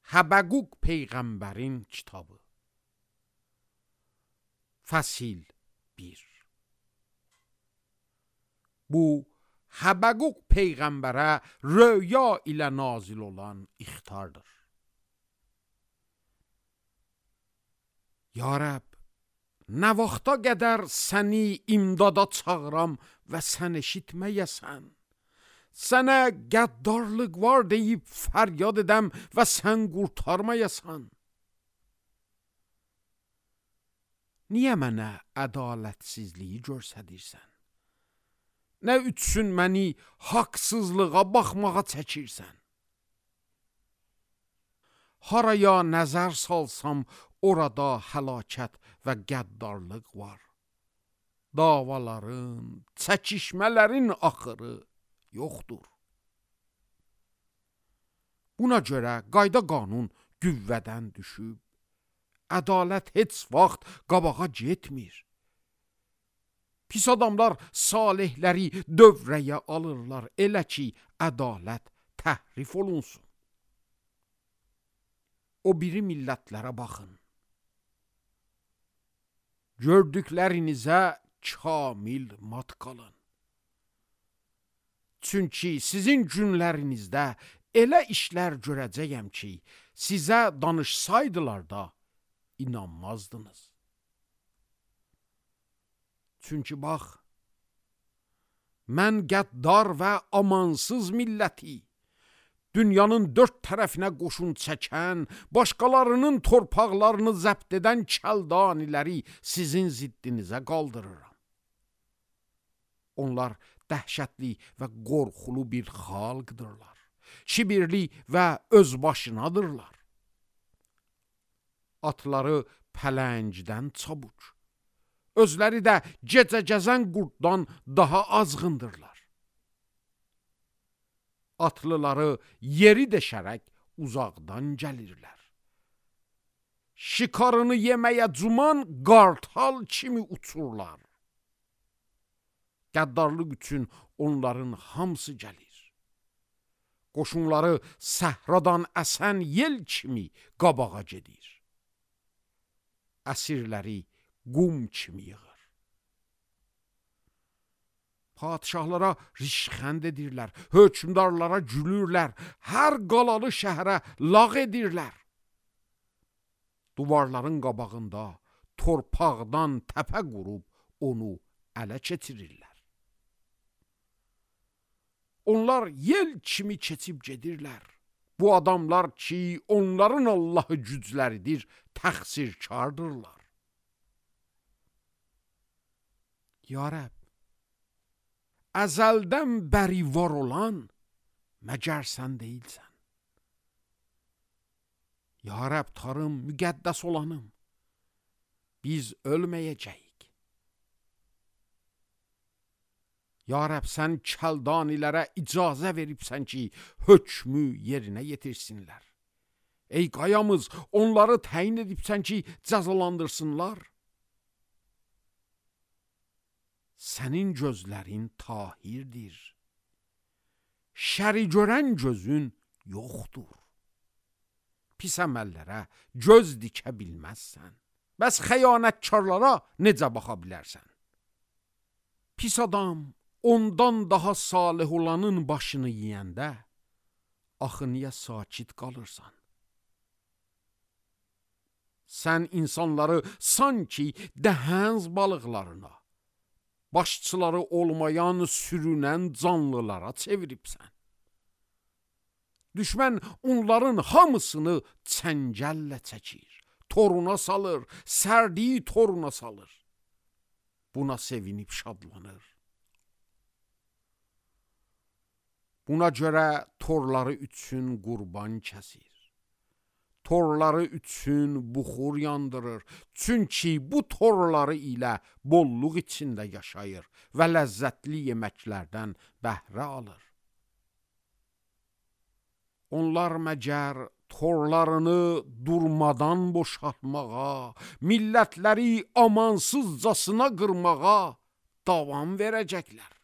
Həbəquq Peyğəmbərin kitabı. Fəsil 1. Bu, Həbəquq Peyğəmbərə röya ilə nazil olan ixtardır. Ya Rəbb, nə vaxta qədər səni imdada çağıram və sən eşitməyəsən. Sənə qəddarlıq var deyib fəryad edəm və sən qurtarmayasan. Niyə mənə ədalətsizliyi görsədirsən? Nə üçün məni haqsızlığa baxmağa çəkirsən? Haraya nəzər salsam, orada həlakət və qəddarlıq var. Davaların, çəkişmələrin axırı yoxdur. Buna görə qayda qanun qüvvədən düşüb, ədalət heç vaxt qabağa getmir. Pis adamlar salihləri dövrəyə alırlar, elə ki, ədalət təhrif olunsun. O biri millətlərə baxın. Gördüklərinizə kamil mat qalın. Çünki sizin günlərinizdə elə işlər görəcəyəm ki, sizə danışsaydılar da inanmazdınız. Çünki bax, mən qəddar və amansız milləti, dünyanın dörd tərəfinə qoşun çəkən, başqalarının torpaqlarını zəbt edən kəldaniləri sizin ziddinizə qaldırıram. Onlar dəhşətli və qorxulu bir xalqdırlar. Kibirli və özbaşınadırlar. Atları pələngdən çabuq, özləri də gecə gəzən qurddan daha azğındırlar. Atlıları yeri deşərək uzaqdan gəlirlər. Şikarını yeməyə cuman qartal kimi uçurlar. Qəddarlıq üçün onların hamısı gəlir. Qoşunları səhradan əsən yel kimi qabağa gedir. Əsirləri qum kimi yığır. Padişahlara rişxənd edirlər, hökmdarlara gülürlər, hər qalalı şəhərə lağ edirlər. Duvarların qabağında torpaqdan təpə qurub onu ələ keçirirlər. Onlar yel kimi keçib gedirlər. Bu adamlar ki, onların Allahı gücləridir, təqsirkardırlar. Ya Rəbb, əzəldən bəri var olan məgər sən deyilsən. Ya Rəbb, tarım, müqəddəs olanım, biz ölməyəcəyik. Ya Rəbb, sən kəldanilərə icazə veribsən ki, hökmü yerinə yetirsinlər. Ey qayamız, onları təyin edibsən ki, cəzalandırsınlar. Sənin gözlərin tahirdir. Şəri görən gözün yoxdur. Pis əməllərə göz dikə bilməzsən. Bəs xəyanətkarlara necə baxa bilərsən? Pis adam ondan daha salih olanın başını yeyəndə, axı niyə sakit qalırsan? Sən insanları sanki dəhəz balıqlarına, başçıları olmayan sürünən canlılara çeviribsən. Düşmən onların hamısını çəngəllə çəkir, toruna salır, sərdiyi toruna salır. Buna sevinib şadlanır. Buna görə torları üçün qurban kəsir. Torları üçün buxur yandırır. Çünki bu torları ilə bolluq içində yaşayır və ləzzətli yeməklərdən bəhrə alır. Onlar məgər torlarını durmadan boşaltmağa, millətləri amansızcasına qırmağa davam verəcəklər.